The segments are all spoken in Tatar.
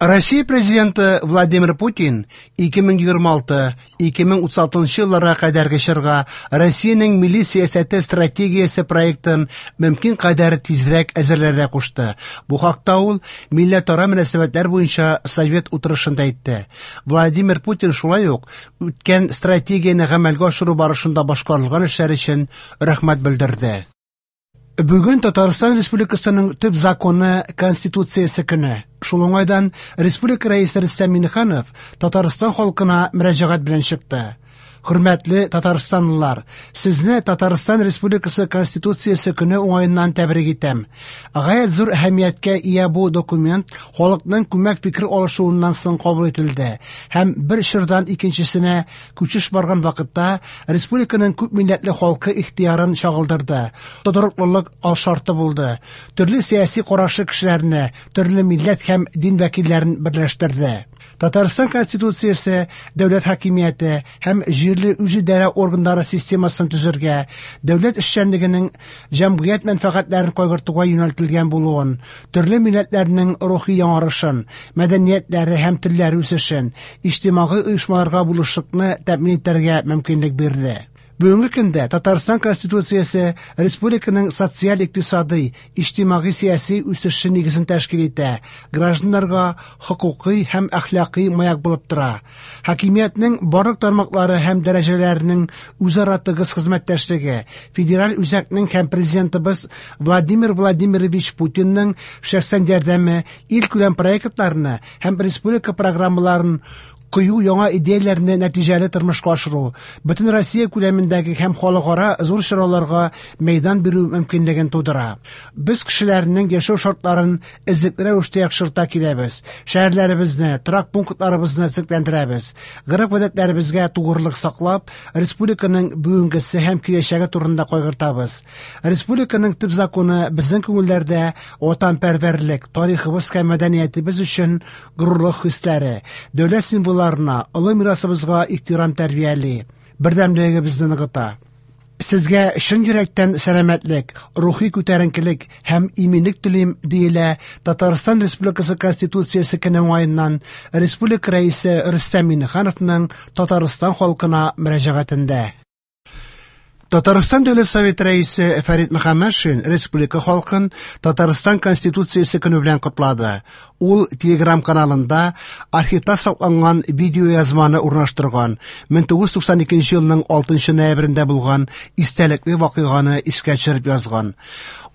Россия Президенты Владимир Путин 2026-2036 елларга кадәрге чорга Россиянең милли сәясәте стратегиясе проектын мөмкин кадәр тизрәк әзерләргә кушты. Бу хакта ул милләтара мөнәсәбәтләр буенча совет утырышында әйтте. Владимир Путин шулай ук үткән стратегияне гамәлгә ашыру барышында башкарылган эшләр өчен рәхмәт белдерде. Бүген Татарстан Республикасының төп законы Конституциясе көне. Шул уңайдан Республика Рәисе Рөстәм Миңнеханов Татарстан халкына мөрәҗәгать белән чыкты. Хөрмәтле татарстанлылар, сезне Татарстан Республикасы Конституциясе көне уңаеннан тәбрик итәм. Гаять зур әһәмияткә ия бу документ халыкның күмәк фикер алышуыннан соң кабул ителде һәм бер чордан икенчесенә күчеш барган вакытта республиканың күп милләтле халкы ихтыярын чагылдырды, тотрыклылык алшарты булды, төрле сәяси карашлы кешеләрне, төрле милләт һәм дин вәкилләрен берләштерде. Татарстан Конституциясе дәүләт хакимияте һәм җирле үзидарә органнары системасын төзергә, дәүләт эшчәнлегенең җәмгыять мәнфәгатьләрен кайгыртуга юнәлтелгән булуын, төрле милләтләрнең рухи яңарышын, мәдәниятләре һәм телләре үсешен, иҗтимагый оешмаларга булышлыкны тәэмин итәргә мөмкинлек бирде. Бүгенге көндә Татарстан Конституциясе республиканың социаль-икътисадый, иҗтимагый-сәяси үсеше нигезен тәшкил итә, гражданнарга хокукый һәм әхлакый маяк булып тора. Хакимиятнең барлык тармаклары һәм дәрәҗәләренең үзара тыгыз хезмәттәшлеге, федераль үзәкнең һәм президентыбыз Владимир Владимирович Путинның шәхсән ярдәме илкүләм проектларны һәм республика программаларын кыю яңа идеяләрне нәтиҗәле тормышка ашыру, бөтен Россия күләмендәге һәм халыкара зур чараларга мәйдан бирү мөмкинлеген тудыра. Без кешеләрнең яшәү шартларын эзлекле рәвештә яхшырта киләбез. Шәһәрләребезне, торак пунктларыбызны төзекләндерәбез. Гореф-гадәтләребезгә тугрылык саклап, республиканың бүгенгесе һәм киләчәге турында кайгыртабыз. Республиканың төп законы безнең күңелләрдә ватанпәрвәрлек, тарихыбыз һәм мәдәниятебез өчен горурлык хисләре, дәүләт символларына, олы мирасыбызга ихтирам тәрбияли, бердәмлегебезне ныгыта. Сезгә чын йөрәктән сәламәтлек, рухи күтәренкелек һәм иминлек телим, диелә Татарстан Республикасы Конституциясе көне уңаеннан Республика Рәисе Рөстәм Миңнехановның Татарстан халкына мөрәҗәгатендә. Татарстан Дәүләт Советы Рәисе Фәрит Мөхәммәтшин республика халкын Татарстан Конституциясе көне белән котлады. Ул Telegram каналында архивта сакланган видеоязманы урнаштырган. 1992 елның 6 ноябрендә булган истәлекле вакыйганы искә төшереп язган.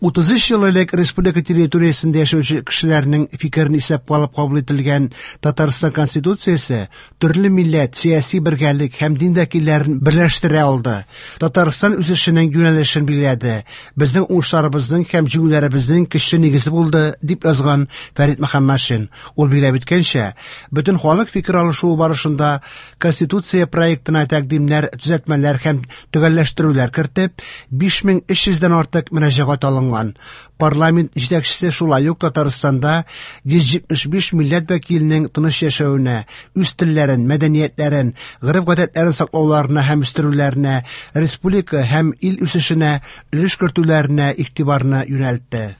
33 ел элек республика территориясендә яшәүче кешеләрнең фикерен исәпкә алып кабул ителгән Татарстан Конституциясе төрле милләт, сәяси бергәлек һәм дин вәкилләрен берләштерә алды. Татарстан үсешенең юнәлешен билгеләде. Безнең уңышларыбызның һәм җиңүләребезнең көчле нигезе булды, дип язган Фәрит Мөхәммәтшин. Ул билгеләп үткәнчә, бөтен халык фикер алышуы барышында Конституция проектына тәкъдимнәр, төзәтмәләр һәм төгәлләштерүләр кертеп, 5300 дән артык мөрәҗәгать алынган. Парламент җитәкчесе шулай ук Татарстанда 175 милләт вәкиленең тыныч яшәвенә, үз телләрен, мәдәниятләрен, гореф-гадәтләрен саклауларына һәм үстерүләренә, республика һәм ил үсешенә өлеш кертүләренә игътибарны юнәлтте.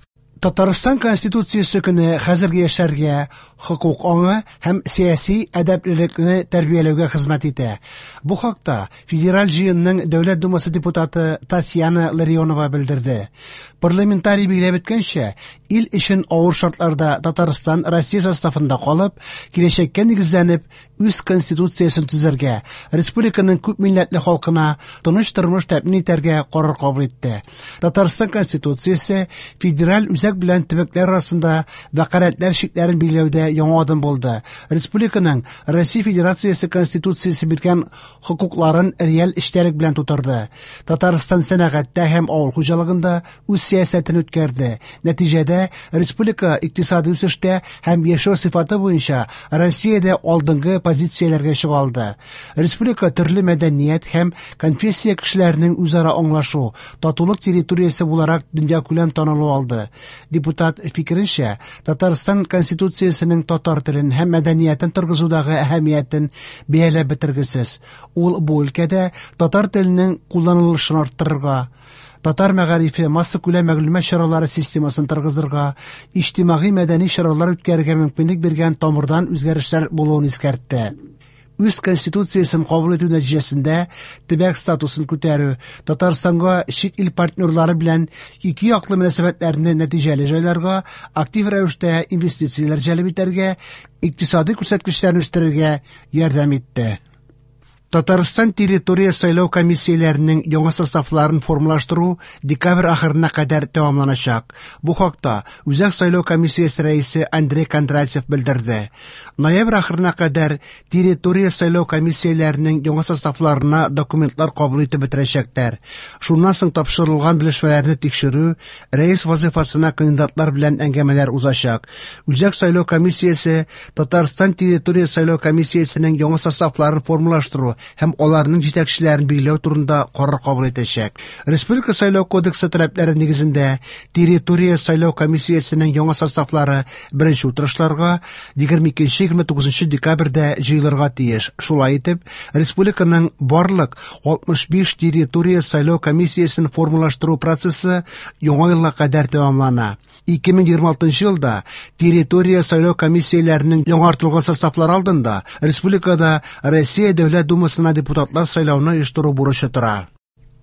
Татарстан Конституциясе көне хәзерге яшьләргә хокук аңы һәм сәяси әдәплелекне тәрбияләүгә хезмәт итә. Бу хакта Федераль җыенның Дәүләт Думасы депутаты Татьяна Ларионова белдерде. Парламентарий билгеләп үткәнчә, ил өчен авыр шартларда Татарстан Россия составында калып, киләчәккә нигезләнеп, үз конституциясен төзергә, республиканың күп милләтле халкына тыныч тормыш тәэмин итәргә карар кабул итте. Татарстан Конституциясе федераль үзәк белән төбәкләр арасында вәкаләтләр чикләрен билгеләүдә яңа адым булды. Республиканың Россия Федерациясе Конституциясе биргән хокукларын реаль эчтәлек белән тутырды. Татарстан сәнәгатьтә һәм авыл хуҗалыгында үз сәясәтен үткәрде. Нәтиҗәдә республика икътисади үсештә һәм яшәү сыйфаты буенча Россиядә алдынгы позицияләргә чыга алды. Республика төрле мәдәният һәм конфессия кешеләренең үзара аңлашу, татулык территориясе буларак дөньякүләм танылу алды. Депутат фикеренчә, Татарстан Конституциясенең татар телен һәм мәдәниятен торгызудагы әһәмиятен бәяләп бетергесез. Ул бу өлкәдә татар теленең кулланылышын арттырырга, татар мәгарифе, массакүләм мәгълүмат чаралары системасын торгызырга, иҗтимагый-мәдәни чаралар үткәрергә мөмкинлек биргән тамырдан үзгәрешләр булуын искәртте. Үз Конституциясен кабул итү нәтиҗәсендә төбәк статусын күтәрү, Татарстанга чит ил партнерлары белән ике яклы мөнәсәбәтләрне нәтиҗәле җайларга, актив рәвештә инвестицияләр җәлеп итәргә, икътисадый күрсәткечләрне үстерергә ярдәм итте. Татарстан территория сайлау комиссияләренең яңа составларын формалаштыру декабрь ахырына кадәр тәмамланачак. Бу хакта Үзәк сайлау комиссиясе рәисе Андрей Кондратьев белдерде. Ноябрь ахырына кадәр территория сайлау комиссияләренең яңа составларына документлар кабул итеп бетерәчәкләр. Шуннан соң тапшырылган белешмәләрне тикшерү, рәис вазыйфасына кандидатлар белән әңгәмәләр узачак. Үзәк сайлау комиссиясе Татарстан территория сайлау комиссиясенең яңа составларын формалаштыру һәм аларның җитәкчеләрен билгеләү турында карар кабул итәчәк. Республика сайлау кодексы таләпләре нигезендә территория сайлау комиссиясенең яңа составлары беренче утырышларга 22-29 декабрьдә җыелырга тиеш. Шулай итеп, республиканың барлык 65 территория сайлау комиссиясен формалаштыру процессы яңа елга кадәр тәмамлана. 2026 елда территория сайлау комиссияләренең яңартылган составлары алдында республикада Россия Дәүләт Думасына депутатлар сайлауны оештыру бурычы тора.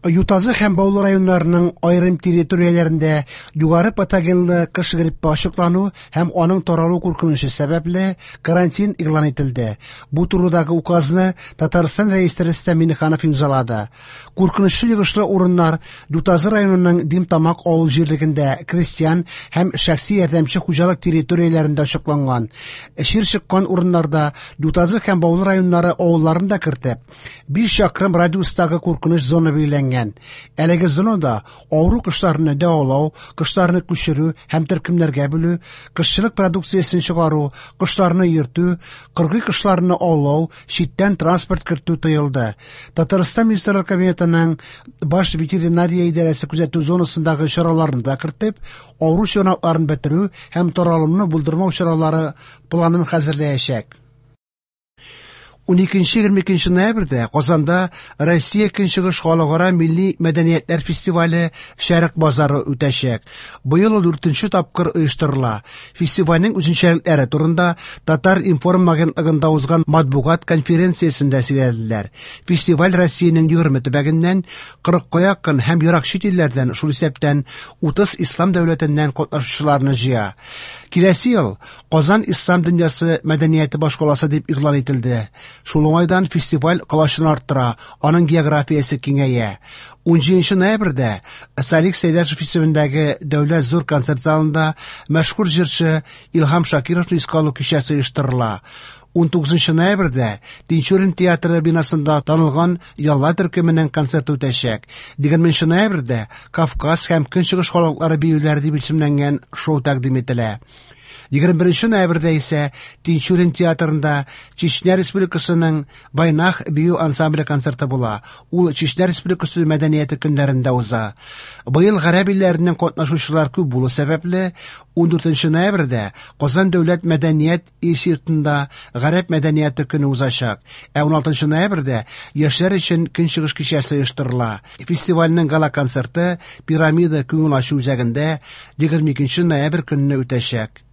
Ютазы һәм Баулы районнарының аерым территорияләрендә югары патогенлы кыш гриппы ачыклану һәм аның таралу куркынычы сәбәпле карантин игълан ителде. Бу турыдагы указны Татарстан Рәисе Рөстәм Миңнеханов имзалады. Куркынычлы йогышлы урыннар Ютазы районының Димтамак авыл җирлегендә крестьян һәм шәхси ярдәмче хуҗалык территорияләрендә ачыкланган. Чир чыккан урыннарда Ютазы һәм Баулы районнары авылларын да кертеп, 5 чакрым радиустагы куркыныч зона билгеләнгән. Әлеге зонада авыру кошларны дәвалау, кошларны күчерү һәм төркемнәргә бүлү, кошчылык продукциясен чыгару, кошларны йөртү, кыргый кошларны аулау, читтән транспорт кертү тыелды. Татарстан Министрлар Кабинетының баш ветеринария идарәсе күзәтү зонасындагы чараларны да кертеп, авыру чыганакларын бетерү һәм таралымны булдырмау чаралары планын хәзерләячәк. 12-22 ноябрьдә Казанда Россия Көнчыгыш халыкара милли мәдәниятләр фестивале Шәрык базары үтәчәк. Быел ул 4нче тапкыр оештырыла. Фестивальнең үзенчәлекләре турында Татар-информ агентлыгында узган матбугат конференциясендә сөйләделәр. Фестиваль Россиянең 20 төбәгеннән, 40 якын һәм ерак чит илләрдән, шул исәптән 30 ислам дәүләтеннән катнашучыларны җыя. Киләсе ел Казан ислам дөньясы мәдәнияте башкаласы дип игълан ителде. Шул уңайдан фестиваль колачын арттыра, аның географиясе киңәя. 17 ноябрьдә Салих Сәйдәшев исемендәге Дәүләт зур концерт залында мәшһүр җырчы Илһам Шакировны искә алу кичәсе оештырыла. 19 ноябрьдә Тинчурин театры бинасында танылган Ялла төркеменең концерты үтәчәк. 20 ноябрьдә Кавказ һәм Көнчыгыш халыклары биюләре дип исемләнгән шоу тәкъдим ителә. 21 ноябрьдә исә Тинчурин театрында Чечня Республикасының Байнах бию ансамбле концерты була. Ул Чечня Республикасы мәдәнияте көннәрендә уза. Быел гарәп илләреннән катнашучылар күп булу сәбәпле, 14 ноябрьдә Казан дәүләт мәдәният институтында гарәп мәдәнияте көне узачак. Ә 16 ноябрьдә яшьләр өчен Көнчыгыш кичәсе оештырыла. Фестивальнең гала-концерты Пирамида күңел ачу үзәгендә 22 ноябрь көнне үтәчәк.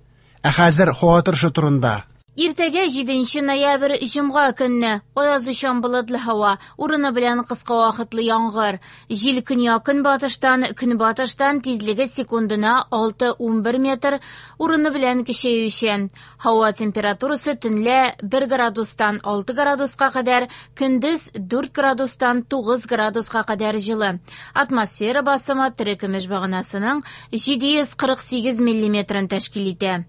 Ә хәзер һава торышы турында. Иртәгә 7 ноябрь җомга көнне аязучан болытлы һава, урыны белән кыска вакытлы яңгыр. Җил көньяк-көнбатыштан, көнбатыштан тизлеге секундына 6-11 метр, урыны белән көчәючән. Һава температурасы төнлә 1 градустан 6 градуска кадәр, көндез 4 градустан 9 градуска кадәр җылы. Атмосфера басымы терекөмеш баганасының 748 миллиметрын тәшкил итә.